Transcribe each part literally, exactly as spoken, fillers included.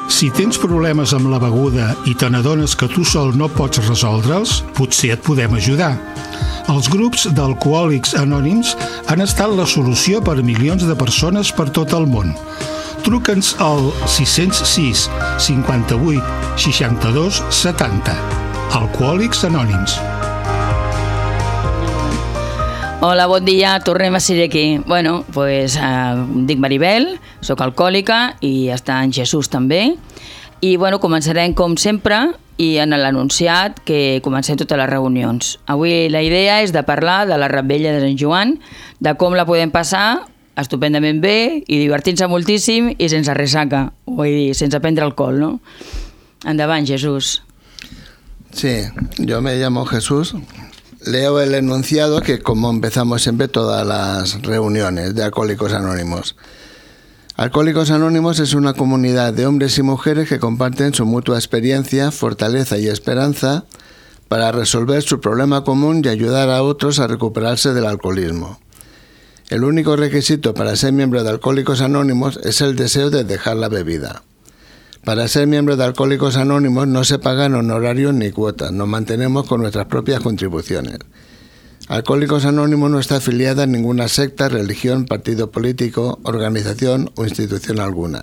Si tens problemes amb la beguda i te n'adones que tu sol no pots resoldre'ls, potser et podem ajudar. Els grups d'alcohòlics anònims han estat la solució per a milions de persones per tot el món. Truca'ns al sis zero sis, cinquanta-vuit, seixanta-dos, setanta. Alcohòlics Anònims. Hola, bon dia, tornem a ser aquí. Bueno, doncs pues, eh, em dic Maribel, soc alcohòlica i està en Jesús també. I bueno, començarem com sempre i en l'anunciat que comencem totes les reunions. Avui la idea és de parlar de la Revetlla de Sant Joan, de com la podem passar estupendament bé i divertint-se moltíssim i sense ressaca, vull dir, sense prendre alcohol, ¿no? Endavant, Jesús. Sí, yo me llamo Jesús. Leo el enunciado que como empezamos siempre todas las reuniones de Alcohólicos Anónimos. Alcohólicos Anónimos es una comunidad de hombres y mujeres que comparten su mutua experiencia, fortaleza y esperanza para resolver su problema común y ayudar a otros a recuperarse del alcoholismo. El único requisito para ser miembro de Alcohólicos Anónimos es el deseo de dejar la bebida. Para ser miembro de Alcohólicos Anónimos no se pagan honorarios ni cuotas, nos mantenemos con nuestras propias contribuciones. Alcohólicos Anónimos no está afiliada a ninguna secta, religión, partido político, organización o institución alguna.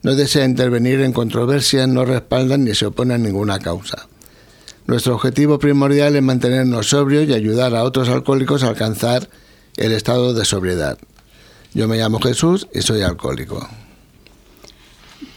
No desea intervenir en controversias, no respaldan ni se opone a ninguna causa. Nuestro objetivo primordial es mantenernos sobrios y ayudar a otros alcohólicos a alcanzar el estado de sobriedad. Yo me llamo Jesús y soy alcohólico.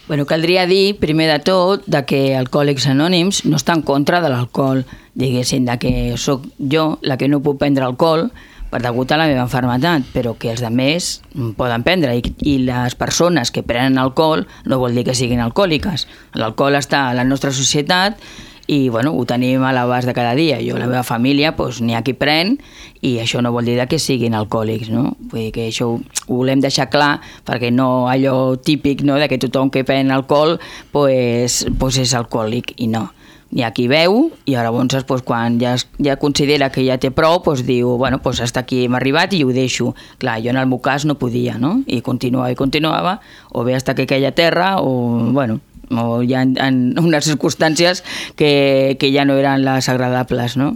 Bueno, caldria dir, primer de tot, de que Alcohòlics Anònims no està en contra de l'alcohol, diguéssim, de que sóc jo la que no puc prendre alcohol per degut a la meva malaltia, però que els altres poden prendre, i, i les persones que prenen alcohol no vol dir que siguin alcohòliques. L'alcohol està a la nostra societat i bueno, ho tenim a l'abast de cada dia. Jo, la meva família, doncs, n'hi ha qui pren i això no vol dir que siguin alcohòlics, no? Vull dir que això ho, ho volem deixar clar perquè no allò típic, no?, de que tothom que pren alcohol doncs, doncs és alcohòlic, i no. Hi ha qui beu i llavors doncs, quan ja, ja considera que ja té prou doncs diu, bueno, doncs hasta aquí hem arribat i ho deixo. Clar, jo en el meu cas no podia, no? I continuava i continuava, o bé hasta que queia terra o, bueno, o hi ha en unes circumstàncies que, que ja no eren les agradables, no?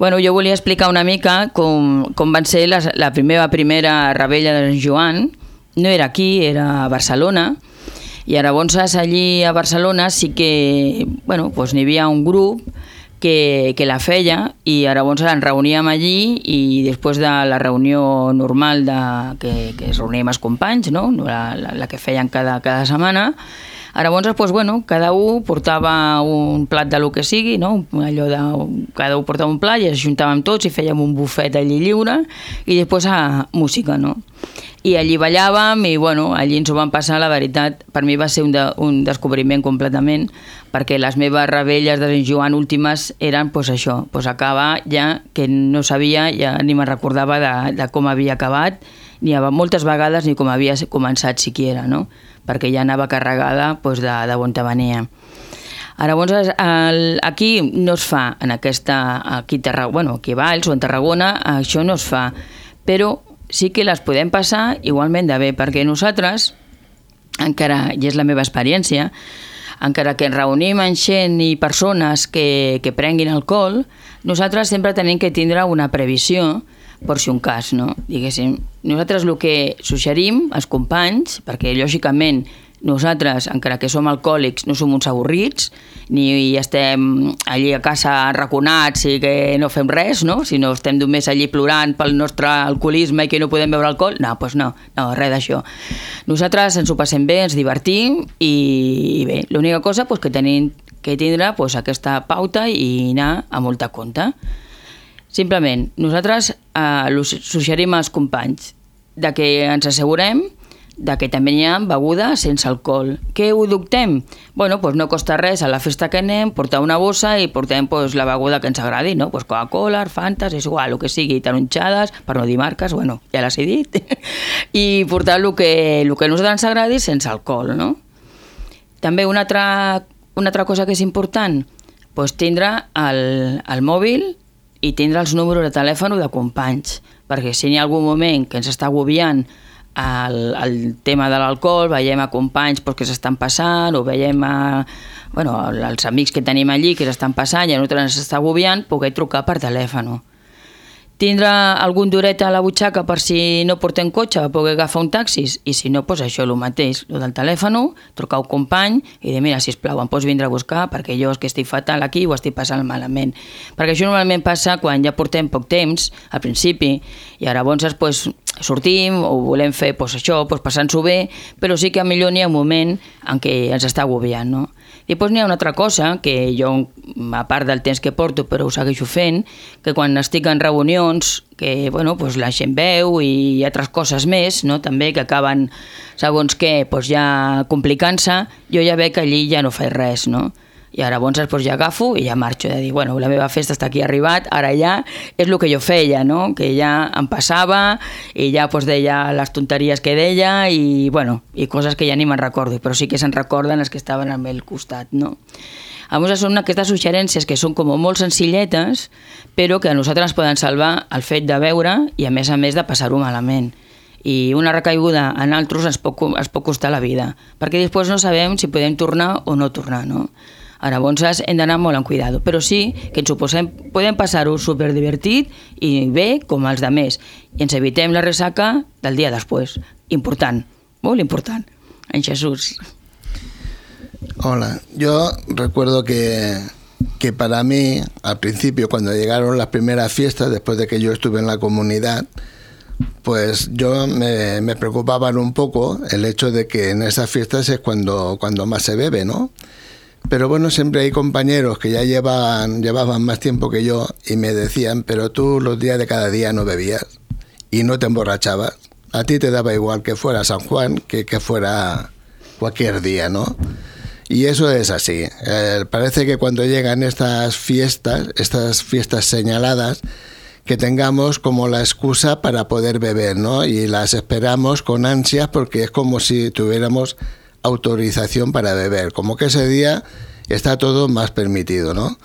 Bueno, jo volia explicar una mica com, com van ser la, la meva primera Revetlla de Sant Joan. No era aquí, era a Barcelona, i llavors allí a Barcelona sí que, bueno, doncs n'hi havia un grup que, que la feia i llavors ens reuníem allí i després de la reunió normal de, que, que es reuníem els companys, no?, la, la, la que feien cada, cada setmana. Llavors, doncs, bueno, cada un portava un plat de lo que sigui, no? Allò de, cada un portava un plat i ens juntàvem tots i fèiem un bufet allí lliure i després a música, no? I allí ballàvem i bueno, allí ens ho vam passar, la veritat, per mi va ser un, de, un descobriment completament, perquè les meves Revelles de Sant Joan últimes eren pues, això, pues, acabar ja que no sabia, ja ni me'n recordava de, de com havia acabat, ni moltes vegades ni com havia començat siquiera, no? Perquè ja anava carregada pues, de, de on te venia. Ara, llavors, el, aquí no es fa, en aquesta, aquí, Tarragona, bueno, aquí a Valls o en Tarragona, això no es fa, però sí que les podem passar igualment de bé, perquè nosaltres, encara, i és la meva experiència, encara que ens reunim amb gent i persones que, que prenguin alcohol, nosaltres sempre tenim que tindre una previsió per si un cas, no? Diguéssim, nosaltres el que suggerim als companys, perquè lògicament nosaltres, encara que som alcohòlics, no som uns avorrits, ni estem allí a casa arraconats i que no fem res, no? Sinó estem només allí plorant pel nostre alcoholisme i que no podem beure alcohol. No, doncs no, no, res d'això. Nosaltres ens ho passem bé, ens divertim i, i bé, l'única cosa doncs, que tenim que tindre doncs, aquesta pauta i anar a molta compte. Simplement, nosaltres eh, suggerim als companys de que ens assegurem de que també hi ha beguda sense alcohol. Què ho dubtem? Bueno, doncs no costa res a la festa que anem, portar una bossa i portem pues, la beguda que ens agradi, no? Pues Coca-Cola, Fantas, és igual, el que sigui, taronxades, per no dir marques, bueno, ja les he dit, i portar el que, el que a nosaltres ens agradi sense alcohol, no? També una altra, una altra cosa que és important, pues, tindre el, el mòbil i tindre els números de telèfon de companys, perquè si hi ha algun moment que ens està agobiant el, el tema de l'alcohol, veiem a companys pues, que s'estan passant, o veiem a, bueno, els amics que tenim allí que s'estan passant i a nosaltres ens està agobiant, poder trucar per telèfon. Tindre algun duret a la butxaca per si no portem cotxe, poder agafar un taxi, i si no, doncs això, el mateix, el del telèfon, trucar un company i dir, mira, sisplau, em pots vindre a buscar perquè jo és que estic fatal aquí o estic passant malament. Perquè això normalment passa quan ja portem poc temps, al principi, i llavors pues, sortim o volem fer pues, això, pues, passant-s'ho bé, però sí que millor n'hi ha un moment en què ens està agobiant, no? I després n'hi ha una altra cosa, que jo, a part del temps que porto, però ho segueixo fent, que quan estic en reunions, que bueno, pues la gent veu i altres coses més, no? També que acaben, segons què, pues ja complicant-se, jo ja veig que allí ja no faig res, no? I ara llavors pues, ja agafo i ja marxo, de dir, bueno, la meva festa està aquí arribat, ara ja és el que jo feia, no? Que ja em passava i ja pues, deia les tonteries que deia i, bueno, i coses que ja ni me'n recordo, però sí que se'n recorden els que estaven al meu costat, no? Llavors són aquestes suggerències que són com molt senzilletes, però que a nosaltres ens poden salvar el fet de veure i a més a més de passar-ho malament. I una recaiguda en altres ens pot, ens pot costar la vida, perquè després no sabem si podem tornar o no tornar, no? Ara, llavors hem d'anar molt en cuidado, però sí que ens ho posem, podem passar-ho superdivertit i bé com els altres, i ens evitem la ressaca del dia després. Important, molt important. En Jesús. Hola, yo recuerdo que, que para mí, al principio, cuando llegaron las primeras fiestas, después de que yo estuve en la comunidad, pues yo me, me preocupaban un poco el hecho de que en esas fiestas es cuando, cuando más se bebe, ¿no? Pero bueno, siempre hay compañeros que ya llevaban, llevaban más tiempo que yo y me decían, pero tú los días de cada día no bebías y no te emborrachabas. A ti te daba igual que fuera San Juan que que fuera cualquier día, ¿no? Y eso es así. Eh, parece que cuando llegan estas fiestas, estas fiestas señaladas, que tengamos como la excusa para poder beber, ¿no? Y las esperamos con ansias porque es como si tuviéramos autorización para beber, como que ese día está todo más permitido, ¿no?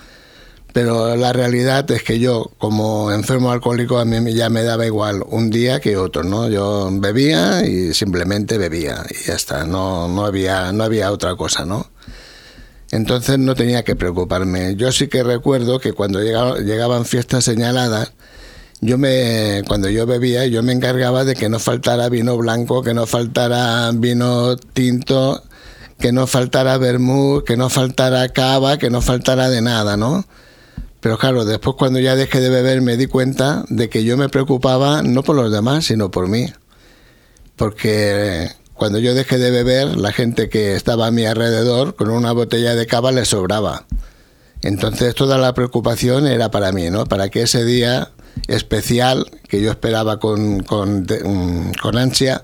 Pero la realidad es que yo, como enfermo alcohólico, a mí ya me daba igual un día que otro, ¿no? Yo bebía y simplemente bebía y ya está, no, no había, no había otra cosa, ¿no? Entonces no tenía que preocuparme. Yo sí que recuerdo que cuando llegaba, llegaban fiestas señaladas, yo me, cuando yo bebía, yo me encargaba de que no faltara vino blanco, que no faltara vino tinto, que no faltara vermut, que no faltara cava, que no faltara de nada, ¿no? Pero claro, después cuando ya dejé de beber me di cuenta de que yo me preocupaba no por los demás, sino por mí. Porque cuando yo dejé de beber, la gente que estaba a mi alrededor, con una botella de cava les sobraba. Entonces toda la preocupación era para mí, ¿no? Para que ese día especial que yo esperaba con, con, con ansia,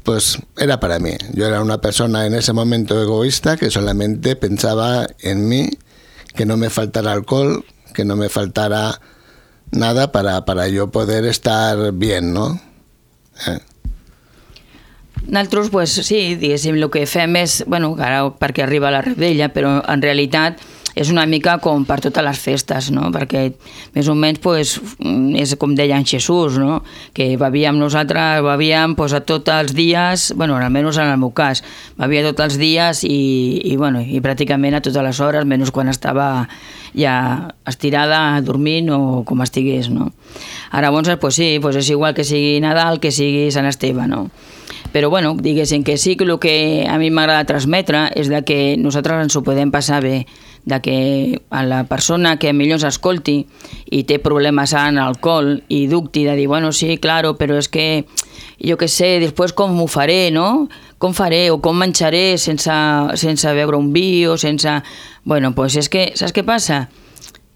pues era para mí. Yo era una persona en ese momento egoísta que solamente pensaba en mí, que no me faltara alcohol, que no me faltara nada para, para yo poder estar bien, ¿no? Eh. Nosaltres, pues, sí, diguéssim, el que fem és, bueno, ara perquè arriba la rebella, però en realitat és una mica com per totes les festes, no? Perquè més o menys pues, és com deia en Jesús, no? Que bevíem nosaltres, bevíem pues, a tots els dies, bueno, almenys en el meu cas, bevia tots els dies i, i, bueno, i pràcticament a totes les hores, menys quan estava ja estirada, dormint o com estigués, no? Ara, llavors, pues, sí, pues és igual que sigui Nadal, que sigui Sant Esteve, no? Però, bueno, diguéssim que sí que el que a mi m'agrada transmetre és de que nosaltres ens ho podem passar bé, de que a la persona que millor ens escolti i té problemes en alcohol i dubti de dir, bueno, sí, claro, però és que jo què sé, després com ho faré, no? Com faré o com menjaré sense, sense beure un vi o sense... Bueno, doncs és que, saps què passa?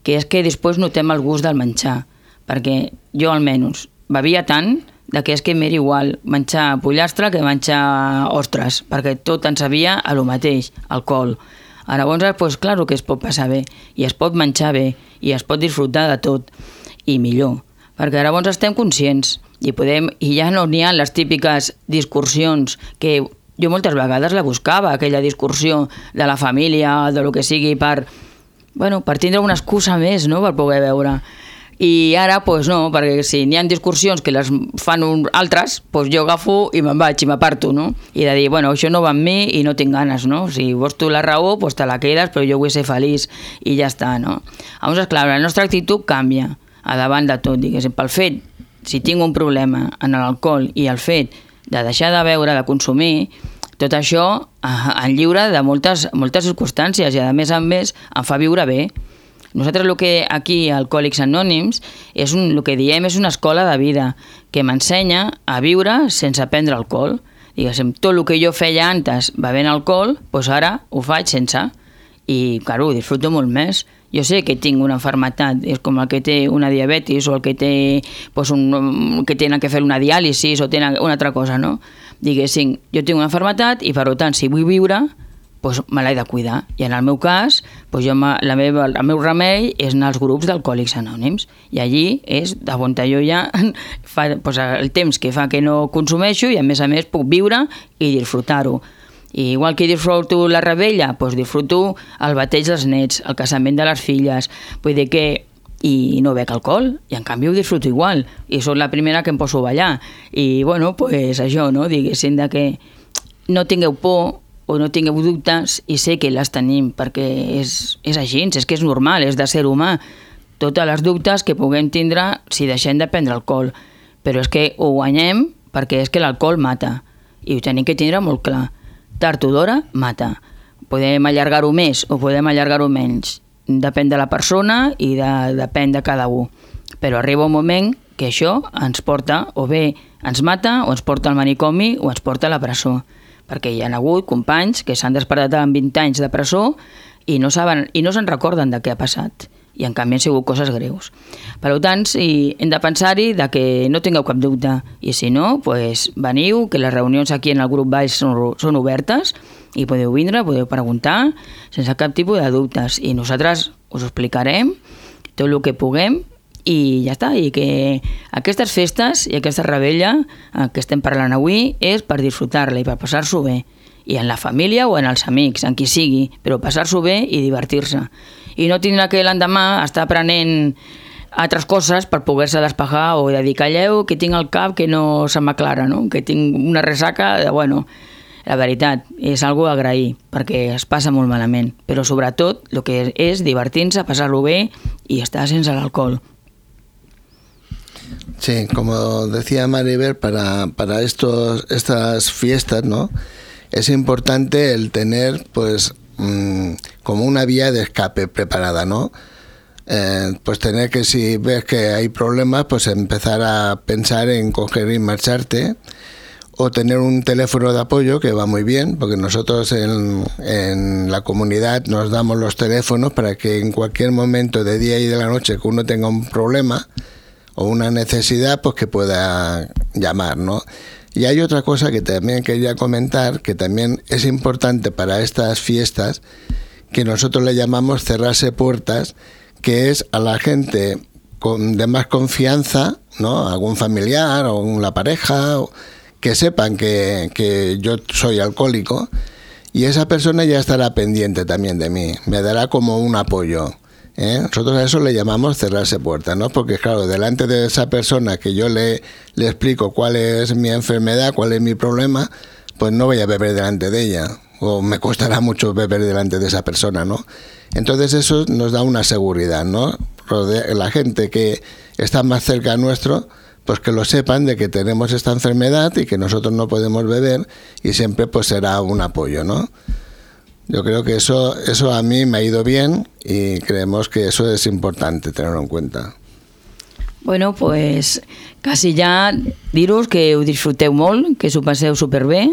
Que és que després notem el gust del menjar, perquè jo almenys bevia tant de que és que m'era igual menjar pollastre que menjar ostres, perquè tot ens sabia a lo mateix, alcohol. Ara, llavors, pues, clar que es pot passar bé, i es pot menjar bé, i es pot disfrutar de tot, i millor, perquè ara llavors estem conscients, i, podem, i ja no n'hi ha les típiques discursions que jo moltes vegades la buscava, aquella discursió de la família, de lo que sigui, per, bueno, per tindre una excusa més, no?, per poder veure. I ara, doncs no, perquè si n'hi ha discussions que les fan un, altres, doncs jo agafo i me'n vaig i m'aparto, no? I de dir, bueno, això no va amb mi i no tinc ganes, no? Si vols tu la raó, doncs te la quedes, però jo vull ser feliç i ja està, no? Llavors, clar, la nostra actitud canvia a davant de tot, diguéssim, pel fet, si tinc un problema en l'alcohol i el fet de deixar de beure, de consumir, tot això en lliure de moltes, moltes circumstàncies i a més a més em fa viure bé. Nosaltres el que aquí a Alcohòlics Anònims és un, el que diem és una escola de vida que m'ensenya a viure sense prendre alcohol. Diguéssim, tot el que jo feia antes bevent alcohol, doncs ara ho faig sense. I, claro, ho disfruto molt més. Jo sé que tinc una malaltia, és com el que té una diabetis o el que té, doncs un, que tenen que fer una diàlisis o tenen una altra cosa, no? Diguéssim, jo tinc una malaltia i per tant, si vull viure, doncs me l'he de cuidar. I en el meu cas, doncs jo, la meva, el meu remei és anar als grups d'Alcohòlics Anònims. I allí és de on jo ja fa doncs el temps que fa que no consumeixo i a més a més puc viure i disfrutar-ho. I igual que disfruto la rebella, doncs disfruto el bateig dels nets, el casament de les filles, vull dir que i no bec alcohol, i en canvi ho disfruto igual, i soc la primera que em poso a ballar. I bueno, doncs això, no? Diguéssim de que no tingueu por o no tingueu dubtes i sé que les tenim perquè és, és així, és que és normal, és de ser humà. Totes les dubtes que puguem tindre si deixem de prendre alcohol, però és que ho guanyem perquè és que l'alcohol mata i ho tenim que tindre molt clar. Tard o d'hora mata. Podem allargar-ho més o podem allargar-ho menys. Depèn de la persona i de, depèn de cada un. Però arriba un moment que això ens porta, o bé ens mata, o ens porta al manicomi, o ens porta a la presó. Perquè hi ha hagut companys que s'han despertat amb vint anys de presó i no saben i no se'n recorden de què ha passat. I en canvi han sigut coses greus. Per tant, sí, hem de pensar-hi de que no tingueu cap dubte. I si no, doncs veniu, que les reunions aquí en el grup Baix són, són obertes i podeu vindre, podeu preguntar sense cap tipus de dubtes. I nosaltres us explicarem tot el que puguem i ja està, i que aquestes festes i aquesta rebella que estem parlant avui és per disfrutar-la i per passar-s'ho bé, i en la família o en els amics, en qui sigui, però passar-s'ho bé i divertir-se. I no tindrà que l'endemà estar aprenent altres coses per poder-se despejar o de dir, calleu, que tinc el cap que no se m'aclara, no? Que tinc una ressaca, de, bueno, la veritat, és algo a agrair, perquè es passa molt malament, però sobretot el que és divertir-se, passar-lo bé i estar sense l'alcohol. Sí, como decía Maribel, para, para estos, estas fiestas, ¿no? Es importante el tener, pues, mmm, como una vía de escape preparada, ¿no? Eh, pues tener que, si ves que hay problemas, pues empezar a pensar en coger y marcharte, o tener un teléfono de apoyo, que va muy bien, porque nosotros en, en la comunidad nos damos los teléfonos para que en cualquier momento de día y de la noche que uno tenga un problema o una necesidad, pues que pueda llamar, ¿no? Y hay otra cosa que también quería comentar, que también es importante para estas fiestas, que nosotros le llamamos cerrarse puertas, que es a la gente con, de más confianza, ¿no? Algún familiar o una pareja, o, que sepan que, que yo soy alcohólico, y esa persona ya estará pendiente también de mí, me dará como un apoyo. ¿Eh? Nosotros a eso le llamamos cerrarse puertas, ¿no? Porque claro, delante de esa persona que yo le, le explico cuál es mi enfermedad, cuál es mi problema, pues no voy a beber delante de ella, o me costará mucho beber delante de esa persona, ¿no? Entonces eso nos da una seguridad, ¿no? La gente que está más cerca nuestro, pues que lo sepan de que tenemos esta enfermedad y que nosotros no podemos beber, y siempre pues será un apoyo, ¿no? Yo creo que eso, eso a mí me ha ido bien y creemos que eso es importante tenerlo en cuenta. Bueno, pues quasi ja dir-vos que ho disfruteu molt, que s'ho passeu superbé,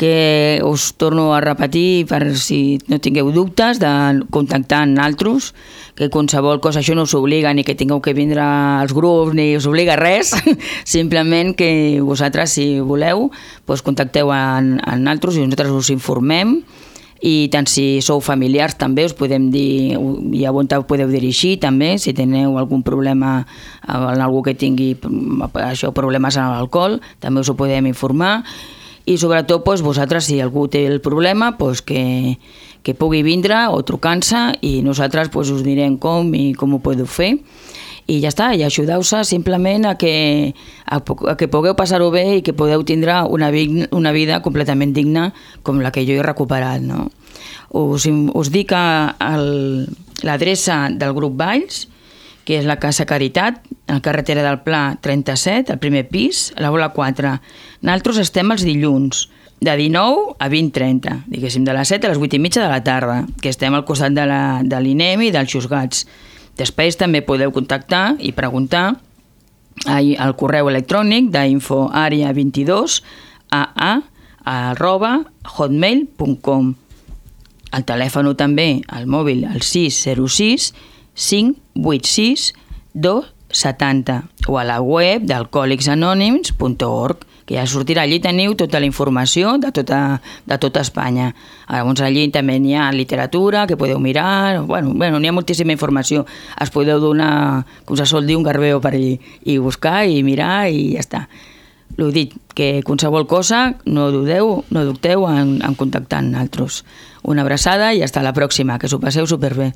que us torno a repetir per si no tingueu dubtes de contactar amb altres, que qualsevol cosa, això no us obliga ni que tingueu que vindre als grups ni us obliga res, simplement que vosaltres, si voleu, doncs contacteu amb, amb altres i nosaltres us informem. I tant si sou familiars també us podem dir, i a on podeu dirigir també, si teniu algun problema en algú que tingui això, problemes amb l'alcohol, també us ho podem informar. I sobretot doncs, vosaltres, si algú té el problema, doncs, que, que pugui vindre o trucar-se, i nosaltres doncs, us direm com i com ho podeu fer. i ja està, i ajudeu-se simplement a que, a, a que pugueu passar-ho bé i que podeu tindre una, una vida completament digna com la que jo he recuperat, no? Us, us dic l'adreça del grup Valls, que és la Casa Caritat, a la carretera del Pla trenta-set, al primer pis, a la bola quatre. Nosaltres estem els dilluns, de dinou a vint trenta, diguéssim, de les set a les vuit i mitja de la tarda, que estem al costat de l'I N E M i dels Xusgats. Després també podeu contactar i preguntar al correu electrònic d'info àrea vint-i-dos a a arroba hotmail punt com. El telèfon també, al mòbil, al sis zero sis cinc vuit sis dos setanta o a la web d'alcohòlics anònims punt org, que ja sortirà. Allí teniu tota la informació de tota, de tota Espanya. Llavors allí també hi ha literatura que podeu mirar, bueno, bueno, n'hi ha moltíssima informació. Es podeu donar, com se sol dir, un garbeo per allí i buscar i mirar i ja està. L'ho dit, que qualsevol cosa no dudeu, no dubteu en, en contactar amb nosaltres. Una abraçada i fins la pròxima, que s'ho passeu superbé.